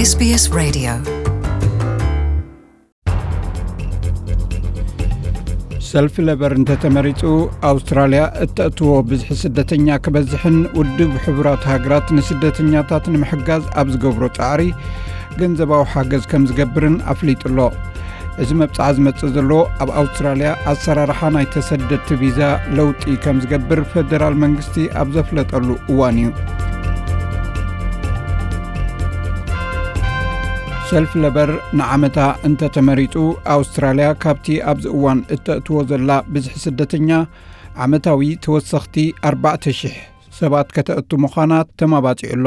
SBS Radio. ሰልፊ ለበር እንተተመሪጹ፣ ኣውስትራልያ እተእትዎ ብዝሒ ስደተኛ ክበዝሕን ውድብ ሕቡራት ሃገራት ንስደተኛታት ንምሕጋዝ ኣብ ዝገብሮ ጻዕሪ ገንዘባዊ ሓገዝ ከም ዝገብርን ኣፍሊጡ ኣሎ። እዚ መብጽዓ ዝመጽእ ዘሎ ኣብ ኣውስትራልያ ኣሰራርሓ ናይ ተሰደድቲ ቪዛ ለውጢ ከም ዝገብር ፈደራል መንግስቲ ኣብ ዘፍለጠሉ እዋን እዩ። ሰልፊ ለበር ንዓመታ እንተተመሪጹ፣ ኣውስትራልያ ካብቲ ኣብዚ እዋን እተእትዎ ዘላ ብዝሒ ስደተኛ ዓመታዊ ተወሰኽቲ ኣርባዕተ ሽሕ ሰባት ከተእቱ ምዃና ተማባጺዑ ኣሎ።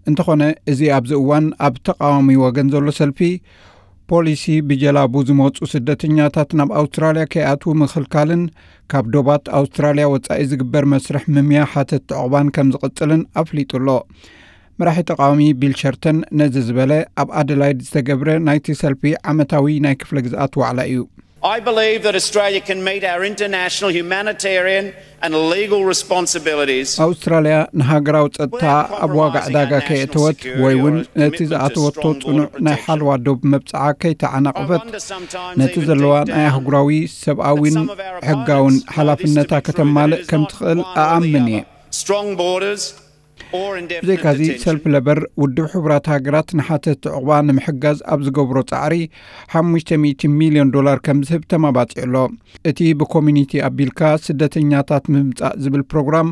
እንተኾነ፣ እዚ ኣብዚ እዋን ኣብ ተቓዋሚ ወገን ዘሎ ሰልፊ፣ ፖሊሲ ብጀላቡ ዝመጹ ስደተኛታት ናብ ኣውስትራልያ ከይኣትዉ ምኽልካልን ካብ ዶባት ኣውስትራልያ ወጻኢ ዝግበር መስርሕ ምምያ ሓተት ዕቑባን ከም ዝቕጽልን ኣፍሊጡ ኣሎ። መራሒ ተቓዋሚ ቢል ሸርተን ነዚ ዝበለ ኣብ ኣደላይድ ዝተገብረ ናይቲ ሰልፊ ዓመታዊ ናይ ክፍለ ግዝኣት ዋዕላ እዩ። I believe that Australia can meet our international humanitarian and legal responsibilities. ኣውስትራልያ ንሃገራዊ ጸጥታ ኣብ ዋጋ ዕዳጋ ከየእተወት ወይ እውን ነቲ ዝኣተወቶ ጽኑዕ ናይ ሓለዋ ዶብ መብጽዓ ከይተዓናቐፈት፣ ነቲ ዘለዋ ናይ ኣህጉራዊ ሰብኣዊን ሕጋውን ሓላፍነታ ከተማልእ ከም ትኽእል እኣምን እየ። Strong borders or ብዘይካዚ፣ indefinite ሰልፊ ለበር ውድብ ሕቡራት ሃገራት ንሓተት ዕቑባ ንምሕጋዝ ኣብ ዝገብሮ ጻዕሪ ሓሙሽተ ሚእቲ ሚልዮን ዶላር ከም ዝህብ ተማባጺዑ ኣሎ። እቲ ብኮሚኒቲ ኣቢልካ ስደተኛታት ምምጻእ ዝብል ፕሮግራም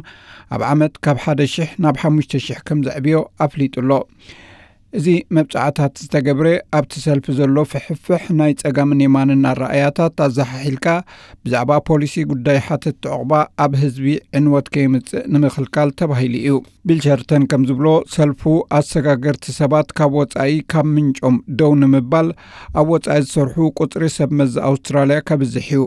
ኣብ ዓመት ካብ ሓደ ሽሕ ናብ ሓሙሽተ ሽሕ ከም ዘዕብዮ ኣፍሊጡ ኣሎ። እዚ መብጻዕታት ዝተገብረ ኣብቲ ሰልፊ ዘሎ ፍሕፍሕ ናይ ጸጋምን የማንን ኣረኣያታት ኣዘሓሒልካ ብዛዕባ ፖሊሲ ጉዳይ ሓተት ዕቑባ ኣብ ህዝቢ ዕንወት ከየምጽእ ንምኽልካል ተባሂሉ እዩ። ቢል ሸርተን ከም ዝብሎ፣ ሰልፉ ኣሰጋገርቲ ሰባት ካብ ወጻኢ ካብ ምንጮም ደው ንምባል ኣብ ወጻኢ ዝሰርሑ ቁጽሪ ሰብ መዚ ኣውስትራልያ ከብዝሕ እዩ።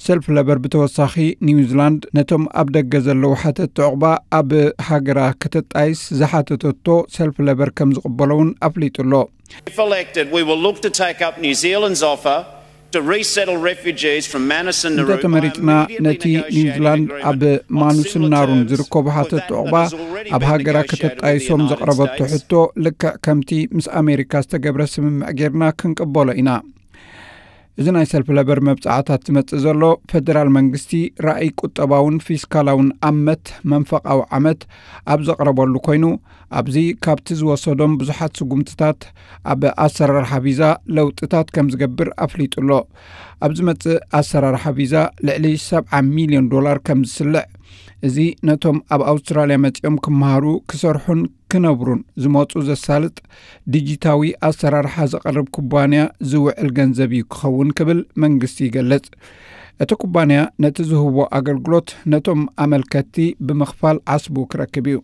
ሰልፊ ለበር ብተወሳኺ፣ ኒውዚላንድ ነቶም ኣብ ደገ ዘለዉ ሓተት ዕቑባ ኣብ ሃገራ ከተጣይስ ዝሓተተቶ ሰልፊ ለበር ከም ዝቕበሎ እውን ኣፍሊጡ ኣሎ። If elected, we will look to take up New Zealand's offer to resettle refugees from Manus and Nauru by እንተተመሪጽና፣ immediately ነቲ negotiating ኒውዚላንድ agreement ኣብ on ማኑስን similar ናሩን terms ዝርከቡ with ሓተት that ዕቑባ that has already ኣብ been ሃገራ negotiated with the ከተጣይሶም United ዘቕረበቶ States. ሕቶ ልክዕ ከምቲ ምስ ኣሜሪካ ዝተገብረ ስምምዕ ጌርና ክንቅበሎ ኢና። እዚ ናይ ሰልፊ ለበር መብጻዕታት ዝመጽእ ዘሎ፣ ፈደራል መንግስቲ ራእይ ቁጠባውን ፊስካላውን ኣመት መንፈቓዊ ዓመት ኣብ ዘቕረበሉ ኮይኑ፣ ኣብዚ ካብቲ ዝወሰዶም ብዙሓት ስጉምትታት ኣብ ኣሰራርሓ ቪዛ ለውጥታት ከም ዝገብር ኣፍሊጡ ኣሎ። ኣብ ዝመጽእ ኣሰራርሓ ቪዛ ልዕሊ ሰብዓ ሚልዮን ዶላር ከም ዝስልዕ፣ እዚ ነቶም ኣብ ኣውስትራልያ መጺኦም ክመሃሩ፣ ክሰርሑን ክነብሩን ዝመጹ ዘሳልጥ ዲጂታዊ ኣሰራርሓ ዘቕርብ ኩባንያ ዝውዕል ገንዘብ እዩ ክኸውን ክብል መንግስቲ ይገልጽ። እቲ ኩባንያ ነቲ ዝህቦ ኣገልግሎት ነቶም ኣመልከትቲ ብምኽፋል ዓስቡ ክረክብ እዩ።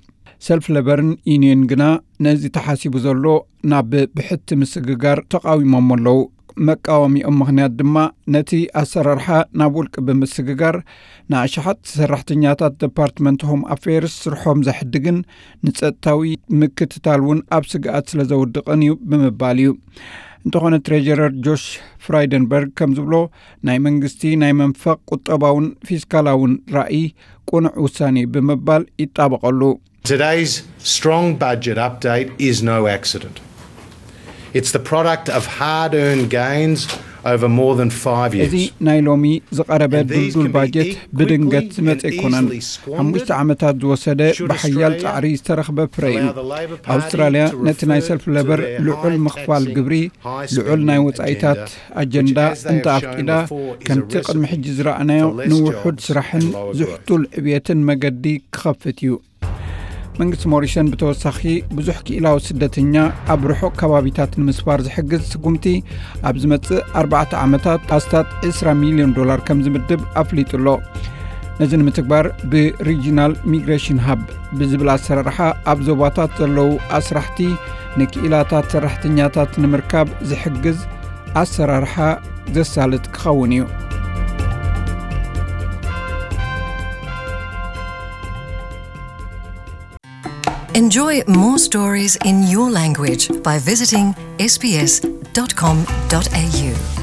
ሰልፍ ለበርን ዩኒየን ግና ነዚ ተሓሲቡ ዘሎ ናብ ብሕቲ ምስግጋር ተቓዊሞሞ ኣለዉ። መቃወሚኦም ምኽንያት ድማ ነቲ ኣሰራርሓ ናብ ውልቂ ብምስግጋር ንኣሽሓት ሰራሕተኛታት ደፓርትመንት ሆም ኣፌርስ ስርሖም ዘሕድግን ንጸጥታዊ ምክትታል እውን ኣብ ስግኣት ስለ ዘውድቕን እዩ ብምባል እዩ። እንተኾነ ትሬጀረር ጆሽ ፍራይደንበርግ ከም ዝብሎ ናይ መንግስቲ ናይ መንፈቕ ቁጠባውን ፊስካላውን ራእይ ቅኑዕ ውሳኔ እዩ ብምባል ይጣበቐሉ። Today's strong budget update is no accident. It's the product of hard earned gains over more than five years. እዚ ናይ ሎሚ ዝቐረበ ድልዱል ባጀት ብድንገት ዝመጸ ኣይኮነን። ሓሙሽተ ዓመታት ዝወሰደ ብሓያል ጻዕሪ ዝተረኽበ ፍረ እዩ። ኣውስትራልያ ነቲ ናይ ሰልፍ ለበር ልዑል ምኽፋል ግብሪ፣ ልዑል ናይ ወጻኢታት ኣጀንዳ እንተ ኣፍቂዳ፣ ከምቲ ቅድሚ ሕጂ ዝረኣናዮ ንውሑድ ስራሕን ዝሕቱል ዕብየትን መገዲ ክኸፍት እዩ። መንግስቲ ሞሪሰን ብተወሳኺ ብዙሕ ክኢላዊ ስደተኛ ኣብ ርሑቕ ከባቢታት ንምስፋር ዝሕግዝ ስጉምቲ ኣብ ዝመጽእ ኣርባዕተ ዓመታት ኣስታት ዕስራ ሚልዮን ዶላር ከም ዝምድብ ኣፍሊጡ ኣሎ። ነዚ ንምትግባር ብሪጂናል ሚግሬሽን ሃብ ብዝብል ኣሰራርሓ ኣብ ዞባታት ዘለዉ ኣስራሕቲ ንክኢላታት ሰራሕተኛታት ንምርካብ ዝሕግዝ ኣሰራርሓ ዘሳልጥ ክኸውን እዩ። Enjoy more stories in your language by visiting S B S dot com dot A U.